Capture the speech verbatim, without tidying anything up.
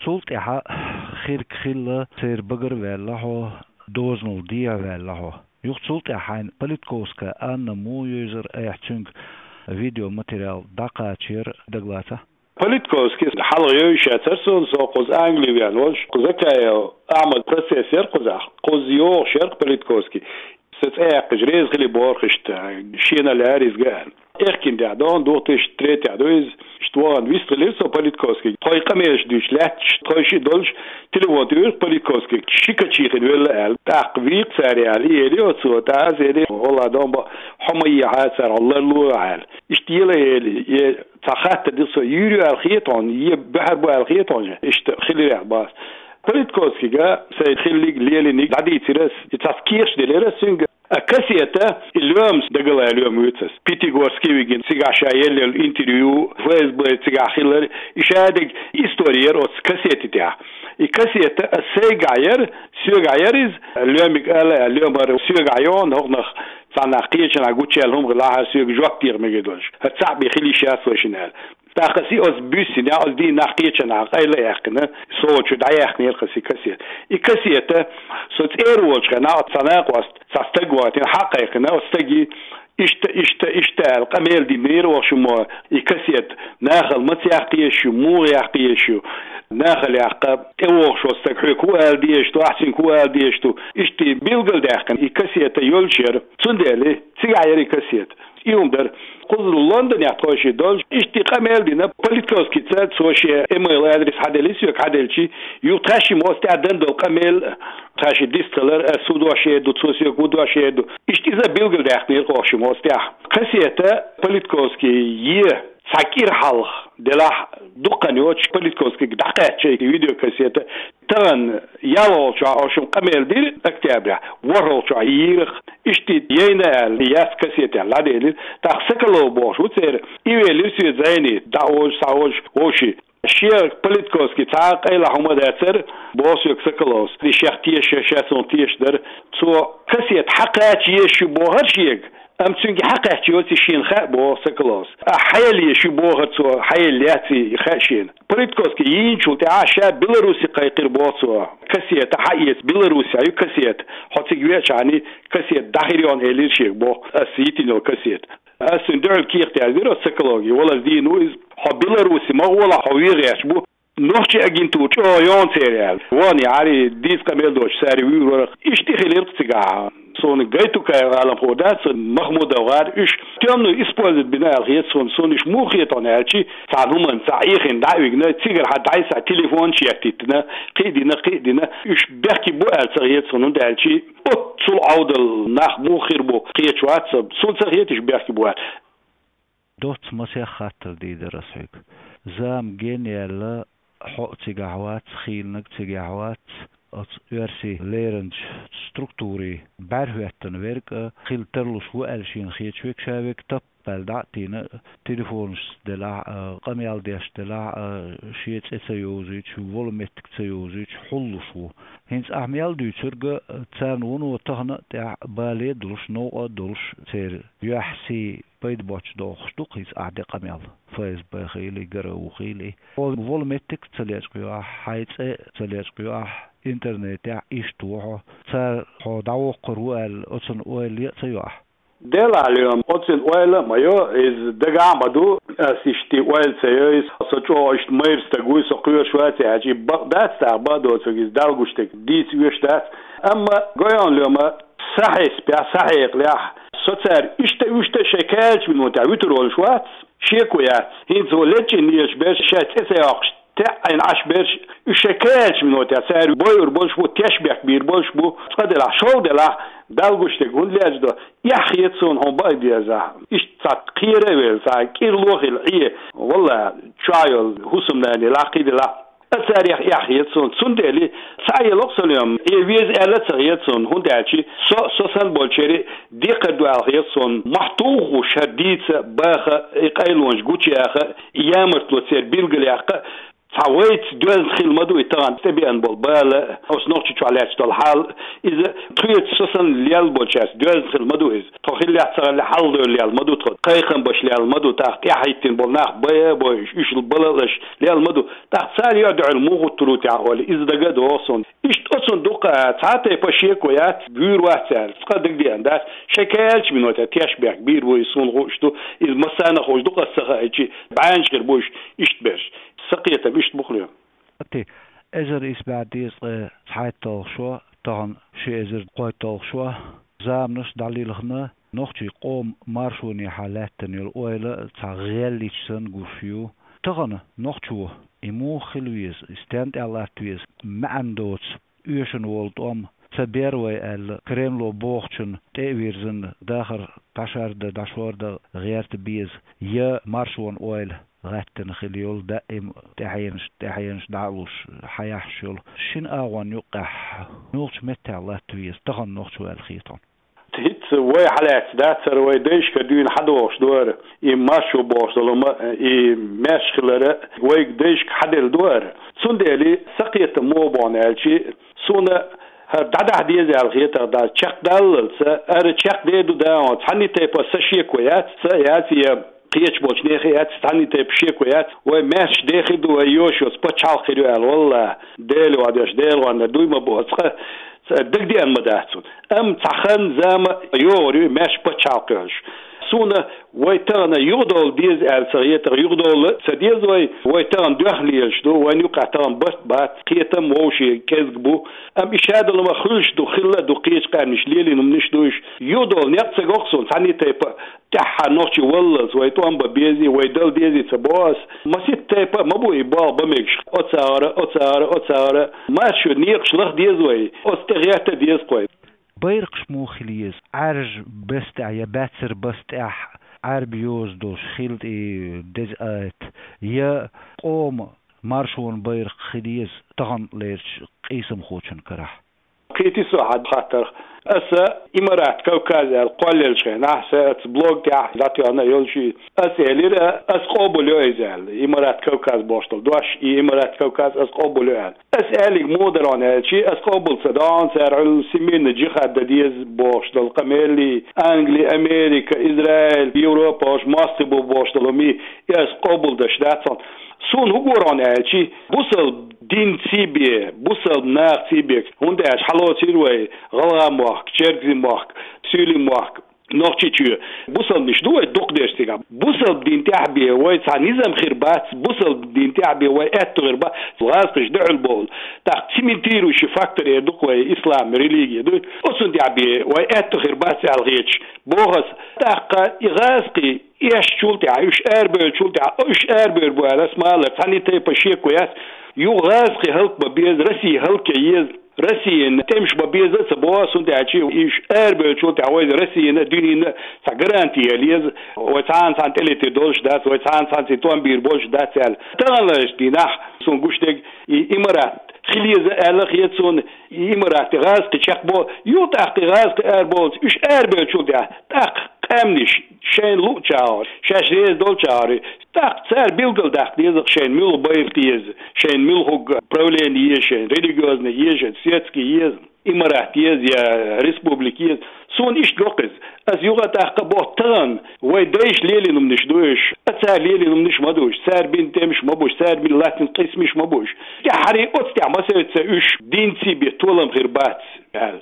Цул тӀаьхьа хирг хилла, церан багара ваьлла хьо, дозанал дехьа ваьлла хьо. Юха цул тӀаьхьа хьайна Политковская Анна мо йовзар, айхьа цуьнга видеоматериал дӀакхачар, дагалаца? Политковский хьалха йовзаш яцар суна, со кхуза Англи веана волуш, кхуза Закаев Ахьмад процесс яр кхузахь, кхуза йогӀуш яр Политковский. Сан цӀе яьккхича реза хили бохура иштта, шена лаьара иза га аьлла. Эхкина тӀехь догӀун, две тысячи третьехь ду иза, иштта вахана вистхилира со Политковский. Тхойн къамелаш дуьйцуш лаьтташ, тхойн шиъ долуш, телефон туьйхира Политковский, ши качихина велла аьлла. ТӀаккха вийкха цара аьлла, и эли оцо, тӀаккха аса эли, валла, дон бо, хьо ма ехьа цара, хьо ларло аьлла. Иштта ела эли, е цхьа хаттар дира со, юьйр ю аьлла хета хьуна, е баьхьар бу аьлла хета хьуна, иштта хилира аьлла боху аса. Политковскийга сайн хиллиг, лелиниг дӀадийцира ас, и цхьацца кехаташ делира ас цуьнга. А кассета, и лоьмас, дагалаьцна лоьма вуьйцу ас. Пятигорский вигина, цигахь ша елла интервью, ФСБ цигахь хилар, и шадерг истори яра оцу кассети тӀехь. И кассета ас сайгахь яра, соьгахь яра иза, лоьмиг ала, лоьмара соьгахь йогӀу, хӀокхунах цхьаннах кхечанхьа гучуяьлла хӀума хилахьара, соьга жоп деха мегар долуш. ХӀара цхьаъ бен хила йиш яц вайшинна аьлла. ТӀаккха аса и оцу буьссина, оцу дийнахь кхечанхьа къайла а яьккхина, со чу дӀаяьхнера кхаси кассета. И кассета, со цӀера волчу хенахь, цхьа накъост, цхьа стаг ватина, хьакхайкхина, оцу стаге, иштта, иштта, иштта аьлла, къамел динера вахшумо, и кассета нахала маца яккха езаш ю, муха яккха езаш ю, нахала яккха, тӀевогӀуш волу стаг хьоьга хӀун ала дезаш ду, ахь цуьнга хӀун ала дезаш ду, иштта билгалдаьккхина, и кассета йолуш яра. Цундела цигахь яра и кассета. И хӀума дара. Кхуза Лондонехь тхойшиъ долуш, иштта къамел дина, Политковскийца цо шен email адрес хьаделира соьга, хьаделчи, юха тхаьшшимма оцу тӀехь дан долу къамел, тхаьшшиъ дистхилар, ас хӀун дош эр ду, цо соьга хӀун дош эр ду. Иштта иза билгалдаьккхинера кхошимма оцу тӀехь. Кассета Политковский е цхьа кӀира хьалха делахь, дукха хан йоцуш Политковскийга дӀакхаьчча и видеокассета, тахана ялхалгӀачохь оцу шимма къамел дира октябрехь, ворхӀалгӀачохь йийрах, иштта яйна аьлла, яц кассетехь дӀаделира. ТӀаккха Соколов бохуш ву церан, и велира соьца зӀене, дӀаозуш, схьаозуш, вовши. Шен Политковский цхьа а къайлаха хӀума дацара, боху соьга Соколовс. И шех теша, ша суна тешаш дара. Цо кассета хьакхача езаш ю бохура шега. Амма цуьнга хьакхаьчча йоций шена хаьа, боху Соколовс. Ахь хьаелла езаш ю бохура цо, хьаелла яций хаьа шена. Политковский йийначул тӀаьхьа ша Беларуси кхайкхира, боху цо. Кассета хьаэца, Беларусехь ю кассета. Хьо цига веачахьана кассета дӀахьийра хьуна элира шега, боху, ас йитина йолу кассета. Ас цуьнан дуьхьал кехат яздира оцу Соколовга, валлаза дийна ву иза. Хьо Беларуси ма гӀолахь, хьо вен гӀерташ бу. Нохчийн агентура чӀогӀа йогӀу церан аьлла. Вон яхьарий дийца къамел доцуш цара вуьйр вара. Иштта хилира цигахь. Суна Гайтукаев аламхо дац, Махмудов гӀар, уьш тёмную использовать бина аьлла хета суна, суна уьш муха хета хьуна аьлчи, цхьана хӀуманна цхьа Ӏехийна дӀа а вигна, цигара хьан дӀайса телефонаш еттийтина, кхин а дина, кхин а дина, уьш бехке бу аьлла ца хета суна, хӀунда аьлчи оццул Ӏовдал нах муха хир бу кхеташ вац, суна ца хета уьш бехке бу аьлла. Доцца масех хаттар дийр дара ас хьоьга. Зама генъяьлла, хьо а цигахь вац, хийланиг цигахь вац, оцу оьрсийн леринчу структурийн бӀаьрахӀоьттина верг а хила тарлуш ву аьлла шена хеташ верг, ша верг таппаьлла дӀа а тийна, телефонашца делахь а, къамел деш делахь а, шен цӀе ца йовзуьйтуш, волу меттиг ца йовзуьйтуш хьуллуш ву. ХӀинца ахь мел дуьйцург а, царна вуно тахана а тӀехь бале а долуш, новкъа а долуш, церан юьхь, сий пайда боцуш дохуш ду-кх иза ахь де къамел, ФСБ хилий, ГРУ хилий. Хьо волу меттиг а ца лечкъайо ахь, хьайн цӀе а ца лечкъайо ахь, интернетехь иштта ву хьо. Цара хьо дӀавоккхур ву аьлла, оцунна ойла е а ца йо ахь? Делахь, Лёма, оцунна ойла а ма йо, иза дагахь а ма ду, ас иштта ойла ца йо иза, со чӀогӀа иштта майра стаг вуй, со кхоьруш вац аьлча, и бакъ дац тӀаккха, бакъ доцург иза, Далла гуш дерг дийца оьшуш дац. Амма гой хьуна, Лёма, сан хьесапехь, сан хьекъалехь, со цара иштта а, вуьшта а шайн кхаьллачу минотехь вуьтур волуш вац, шеко яц. ХӀинца вон лечкъийна езаш берш, шайн цӀе ца йоккхуш, теӀийна Ӏаш берш, уьш шайн кхаьллачу минотехь цара бойур болуш бу, тешнабехк бийр болуш бу, цкъа делахь, шолгӀа делахь, Далла гуш дерг хӀунда лечкъадо, эхь хета суна хьуна бакъ дезахь. Иштта цхьа кхера а велла, цхьа кӀирло а хилла Ӏе, валлахӀи, чохь йолу хӀусамнана лакхий делахь. А царех эхь хета суна, цундела цхьа а ело-кх со, Лёма, Ӏе веза аьлла а ца хета суна, хӀунда аьлча со, со санна болчеран декхар ду аьлла хета суна, мохь тухуш хӀара дийца, баха, и къайлонаш гучуяха, ямартло церан билгалъяккха, Цхьа вайца доьзна хила ма ду и тахана тӀебеана болу бала, оцу Нохчийчохь лаьтташ долу хьал, иза тхоьца со санна лелла болчаьрца доьзна хила ма ду иза. Тхо хиллехь ца хиллехь хьалхадевлла лелла ма ду тхо, кхайкхам беш лелла ма ду, тӀаккха тӀаьхьахӀиттина болу нах бай а бойуш, уьш балалаш лелла ма ду. ТӀаккха цара юьхь дуьхьал муха гуттар ву техьа олий, иза дагадогӀу суна. Иштта оцунна дукха цхьа а тайпа шеко яц, вуьйр вац аьлла, цкъа дагадеана дац, шайн кхаьчча минота тешнабехк бийр бу, иза суна хууш ду, иза массарна а хууш ду, къа ца хаийтча, бӀаьнча хир бу уьш иштта берш. Сан кхетам иштта бу хьуна. Ти, эзар исс бӀе дезткъе цхьайтталгӀа шо, тахана ши эзар кхойтталгӀа шо, заманаш дӀалилхина, нохчийн къоман маршонехьа лаьттина йолу ойла цхьа гӀеллича санна гуш ю. Тахана нохчо и муха хила веза, и стенна тӀехь латта веза, маьӀна доцу, оьшуш волу тӀом ца бер вай аьлла, Кремло бохучунна тӀе а вирзина, дахар дӀашардан, дӀашордан гӀерта беза, я маршонан ойла гӀаьттина хила йолу даим тӀаьхьенаш, тӀаьхьенаш дӀа а луш, хьаяхьаш йолу шина агӀонна юккъехь муьлхачу меттехь латта веза тахана нохчо аьлла хета хьуна? ХӀинца вай хьалаьцна дацара, вай дайшкара дуьйна хьадогӀуш ду хӀара, и маршо бохуш долу ма, и маьрша хилар вайга дайшка хьаделла ду хӀара. Цундела сан кхетам муха бу аьлча, суна хӀара дӀадахьа деза аьлла хетар дац, чекхдаллалц, хӀара чекхдер ду дагахь, цхьанна тайпа сан шеко яц, сан яц я кхечу болчу нехан яц, цхьанна тайпа шеко яц, вай маьрша дехир ду, вай йош йоцу пачхьалкх хир ю аьлла, валлахӀи, Дела ван деш, Дела ван дуй ма боху, цкъа дагадеана ма дац цунна. Амма цхьа хан, зама йогӀур ю, маьрша пачхьалкх йолуш. Суна вай тахана юхадовла деза аьлла ца хета, юхадовла ца деза вай, вай тахана доьхна лелаш ду, вайна юккъехь тахана барт бац, кхетам вовшийн кӀезиг бу. Амма и шадолу ма хуьлуш ду, хилла а ду, кхечу къаьмнаш лелийна хӀуманаш ду уьш. Юхадовла некъ ца го-кх суна, цхьанна тайпа тӀаьххьара нохчий валлалц вай тӀом бан безий, вай дала дезий ца боху ас. Маситта тайпа а ма бу и болх бан мегаш. Оцагара, оцагара, оцагара. Маршо некъаш лаха деза вай. Оцу тӀе гӀерта а деза-кх вай. Байракхаш муха хила еза? Ӏаьржа беса тӀехь я баьццара баса тӀехь Ӏаьрбийн йоза долуш хила тӀе деза айта, я къоман маршонан байракх хила еза таханлерчу къийсамхочун карахь? Кхетий со хьан хаттарх? Аса Имарат Кавказ аьлла кхоллаеллачу хенахь, сан оцу блог тӀехь дӀатоьхна а йолуш, аса элира, аса къобалйо иза аьлла. Имарат Кавказ бохуш долу дош, и Имарат Кавказ аса къобалйо аьлла. Аса аьлларг муха дара аьлча, аса къобал ца до, цара Ӏуьллу семейный джихад дан деза бохуш долу къамелий, Англи, Америка, Израиль, Европа, ош мостагӀий бу бохуш долу хӀума, и аса къобалдеш дац хьуна. Суна хӀун гур аьлча, бусалба динций бен, бусалба нахаций бен, хӀунда аьлча хьалоцийра вай ГӀалгӀай мохк, Чергазий мохк, Суьйлийн мохк, Нохчийчоь. Бусалбанаш ду вай дукха дерш цигахь. Бусалба дин тӀехь бен вай цхьа низам хир бац, бусалба дин тӀехь бен вай аьтту хир бац, гӀазкхаша дуьхьал бовла. ТӀаккха цементирующий фактор эр ду-кх вай ислам религия ду. Оцунна тӀехь бен вай аьтту хир бац аьлла хеташ боху ас. ТӀаккха и гӀазкхий эшначул тӀехь, уьш арабевллачул тӀехь, уьш арабевр бу аьлла, ас ма-аллара, цхьанна тайпа шеко яц, юха гӀазкхий хӀаллакбан беза, Россия хӀаллакъян еза, Россина тӀемаш бан беза а ца боху ас, хӀунда аьлча уьш арабевллачул тӀехь вайна Россина а, дуьненна а цхьа гаранти яла еза, вай цхьана цхьанна тӀелетийр долуш дац, вай цхьана цхьанна цхьа тӀом бийр болуш дац аьлла. Таханлерчу дийнахь суна гуш дерг и Имарат хила еза аьлла хета суна, и Имарат и гӀазкхий чекхбо, юха тӀаккха и гӀазкхий арабовллалц, уьш арабевллачул тӀехь, тӀаккха къаьмнаш шайна луъучу агӀор, шаьш реза долчу агӀор, тӀаккха цара билгалдаккха деза-кх шайна муьлха байракх еза, шайна муьлхарг правление еза, шайна религиозный еза, шайна светский еза, Имарат еза я республика еза. Суна иштта го-кх иза. Ас юха а тӀаккха боху, тахана вай дайша лелийна хӀуманаш ду уьш, а цара лелийна хӀуманаш ма ду уьш, цара бина тӀемаш ма бу уьш, цара бина латтийна къийсамаш ма бу уьш. ТӀаьххьара оцу тӀехь массаьрца уьш динций бен толам хир бац аьлла.